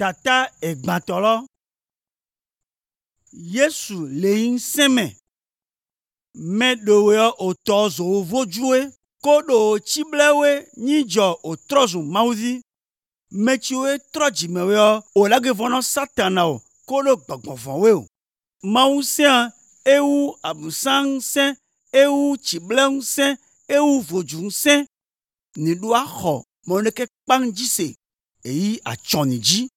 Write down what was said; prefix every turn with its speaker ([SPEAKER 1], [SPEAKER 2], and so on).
[SPEAKER 1] Tata egbantolo. Yesu leyin seme. Medowe otozo vojue. Kodo chiblewe nijo otrozu mauzi. Mechiwe trojimewe olagevono satana kodo gbagbofonwe. Mausen ewu abusang sen ewu chibleng sen ewu vojung sen. Nidua ho moneke pangjise eyi achoniji.